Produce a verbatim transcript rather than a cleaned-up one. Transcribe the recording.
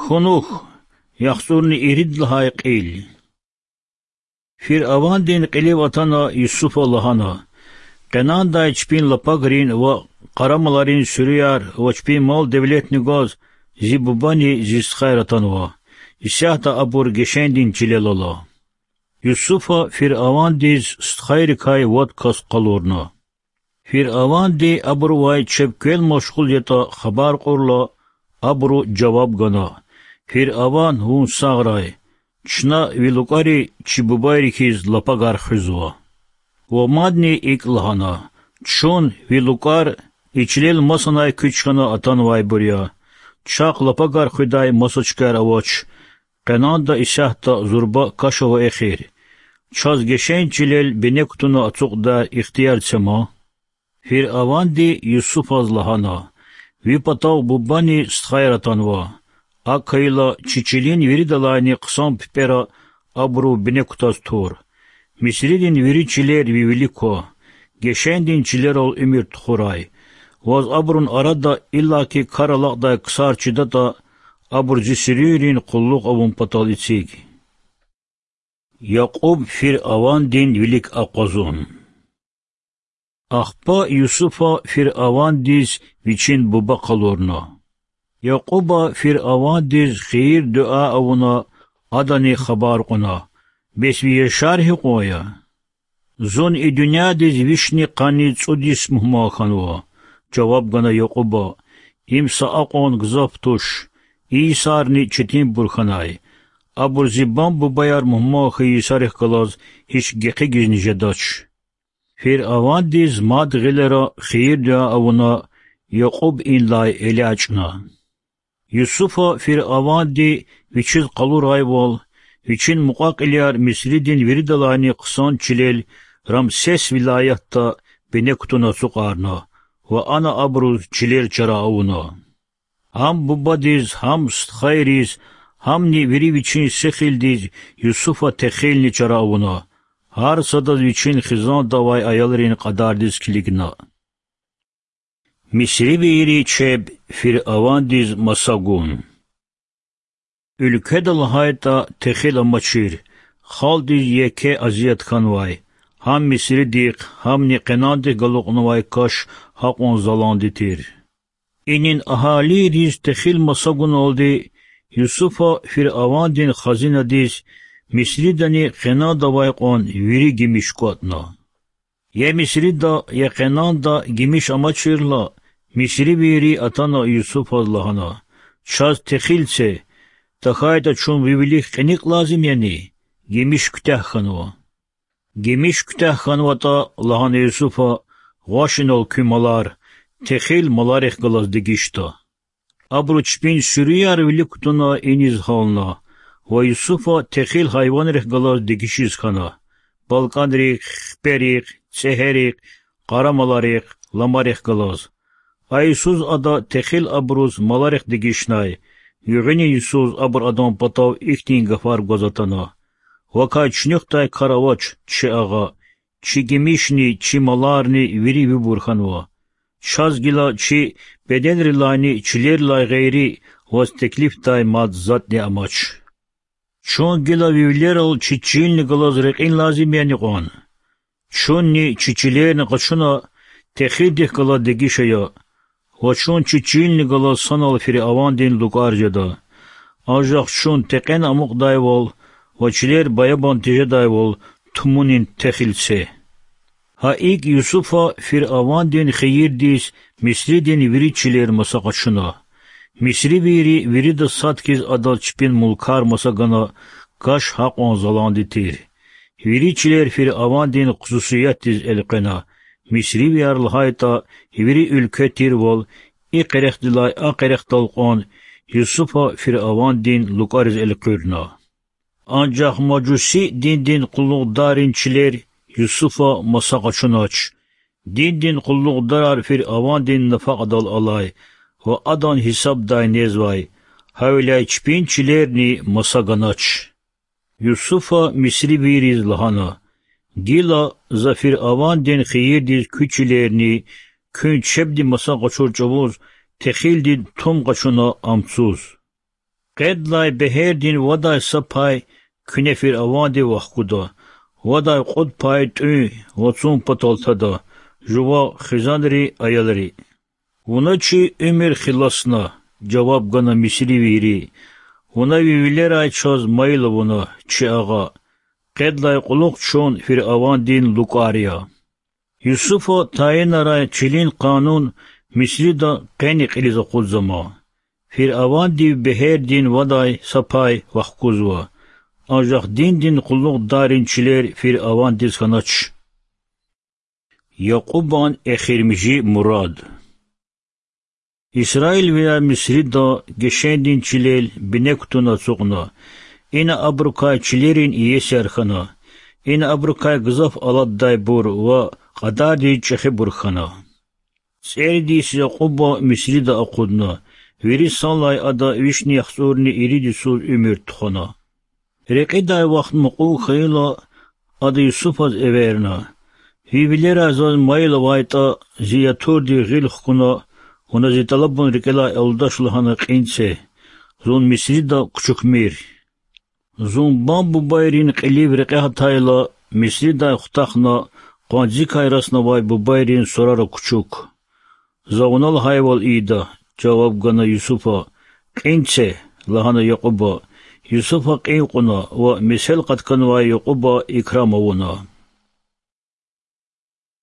Хьунухь, яхцӀурни ирид лагьай кьил. Фиръавандин кьилив атана Юсуфа лагьана: Къенандай чпин лапагрин ва къарамаларин суьруьяр ва чпин мал-девлетни гваз зи бубани зи стхаяр атанва. Исятда абур гешендин чилел ала. Юсуфа фиръавандиз стхайрикай вад кас къалурна. Фиръаванди абурувай чеб квел машгъул ятӀа хабар кьурла, абуру жаваб гана: Фиръаван, вун сагърай! Чна ви лукӀари чи бубайри хьиз лапагар хуьзва. Ва мадни икӀ лагьана: Чун, ви лукӀар, и чилел масанай куьч хьана атанвайбур я. Чахъ лапагар хуьдай маса чкаяр авач. Къенанда исятда зурба каш ава эхир. Чаз гешен чилел бине кутуна ацукьдай ихтияр це ман. Фиръаванди Юсуфаз лагьана: Ви патав бубани стхаяр атанва. АкӀ хьайила, чи чилин виридалайни хъсан пипӀера абурув бине кутаз тур. Мисридин вири чилер ви вилик ква, гешендин чилерал уьмуьр тухурай. Ваз абурун арада иллаки кар алакьдай ксар чидатӀа, абур зи суьруьнрин къуллугъ авун патал эциг. Якьуб фиръавандин вилик акъвазун. Ахпа Юсуфа фиръавандиз вичин буба къалурна. Якьуба фиръавандиз хийир-дуьа авуна, адани хабар кьуна: Бес ви яшар гьикьван я? Зун и дуьньядиз вишни къанни цӀуд йис мугьман хьанва,— жаваб гана Якьуба. Им са акьван гзаф туш. И йисарни четинбур хьанай. Абур зи бам-бубаяр мугьман хьайи йисарихъ галаз гьич гекъигизни жедач. Фиръавандиз мад гъилера хийир-дуьа авуна, Якьуб инлай элячӀна. Юсуфа фиръаванди вичиз къалурайвал, вичин мукьва-кьилияр Мисридин виридалайни хъсан чилел, Рамсес вилаятда, бине кутуна ацукьарна ва ана абуруз чилер чара авуна. Гьам бубадиз, гьам стхайриз, гьамни вири вичин сихилдиз Юсуфа техилни чара авуна, гьар садаз вичин хизанда авай аялрин кьадардиз килигна. Мисривийри чеб фиръавандиз маса гун. Уьлкведа лагьайтӀа техил амачир, халкьдиз еке азият хьанвай, гьам Мисридихъ, гьамни Къенандихъ галукьнавай каш гьакьван заланди тир. Инин агьалийриз техил маса гуналди Юсуфа фиръавандин хазинадиз Мисридани Къенанда авай кьван вири гимиш кӀватӀна. Я Мисрида, я Къенанда гимиш амачирла, мисривийри атана Юсуфаз лагьана: Чаз техил це, тахьайтӀа чун ви вилик кьиникӀ лазим яни? Гимиш куьтягь хьанва. Гимиш куьтягь хьанватӀа, лагьана Юсуфа, гъваш инал куь малар, техил маларихъ галаз дегишда. Абуру чпин суьруьяр вилик кутуна иниз гьална ва Юсуфа техил гьайванрихъ галаз дегишиз хьана: балкӀанрихъ, хиперихъ, цӀегьерихъ, къарамаларихъ, ламарихъ галаз. А йисуз ада техил абуруз маларихъ дегишнай, гуьгъуьнин йисуз абур адан патав ихьтин гафар гваз атана: Вакай чуьнуьхдай кар авач, чи агъа, чи гимишни, чи маларни вири вибур хьанва. Чаз гила чи беденрилайни чилерилай гъейри ваз теклифдай мад затӀни амач. Чун гила ви вилерал чи чилни галаз рекьин лазим яни кьван? Чунни чи чилерни къачуна, техилдихъ галаз дегиш ая, ва чун чи чилни галаз санал фиръавандин лукӀар жеда. Анжах чун текьен амукьдайвал ва чилер баябан тежедайвал тумунин техил це. Гьа икӀ Юсуфа фиръавандин хийирдиз Мисридин вири чилер маса къачуна. Мисривийри вирида сад хьиз адаз чпин мулкар маса гана, каш гьакьван заланди тир. Вири чилер фиръавандин хсусиятдиз элкъвена. Мисривияр лагьайтӀа, вири уьлкве тирвал, и къерехдилай а къерехдал кьван, Юсуфа фиръавандин лукӀариз элкъуьрна. Анжах мажуси диндин къуллугъдаррин чилер Юсуфа маса къачунач. Диндин къуллугъдарар фиръавандин нафакьадал алай ва адан гьисабдай незвай, гьавиляй чпин чилерни маса ганач. Юсуфа мисривийриз лагьана: Гила за фиръавандин хийирдиз куь чилерни, куьн чебди маса къачур чӀавуз техилдин тум къачуна амцуз. Къедлай бегьердин вадай са пай куьне фиръавандив вахкуда, вадай кьуд пай тӀуьн, вацун патал тада, жуван хизанри, аялри. Вуна чи уьмуьр хиласна,— жаваб гана мисривийри,— вуна ви вилерай чаз майил авуна, чи агъа. Къедлай кьулухъ чун фиръавандин лукӀар я. Юсуфа тайинарай чилин къанун Мисрида къени кьилиз акъудзама. Фиръавандив бегьердин вадай са пай вахкузва, анжах диндин къуллугъдаррин чилер фиръавандиз хьанач. Якьубан эхиримжи мурад. Исраилвияр Мисрида гешендин чилел бине кутуна ацукьна. Ина абурукай чилерин иесияр хьана. Ина абурукай гзаф алатдайбур ва кьадардиз чӀехибур хьана. ЦӀерид йис Якьуба Мисрида акъудна. Вири санлай ада вишни яхцӀурни ирид йисуз уьмуьр тухвана. Рекьидай вахт мукьув хьайила, ада Юсуфаз эверна: Ви вилерай заз майил авайтӀа, зи ятурдив гъил хкуна, вуна зи тӀалабун рикӀелай алудач лагьана кьин це. Зун Мисрида кучукмир. Зун бан-бубайрин кьилив рекье гьатайла, Мисридай хутахна къванцикай раснавай бубайрин сурара кучук. За вуна лагьайвал ийида,— жаваб гана Юсуфа. Кьин це,— лагьана Якьуба. Юсуфа кьин кьуна ва месел къатканвай Якьуба икрам авуна.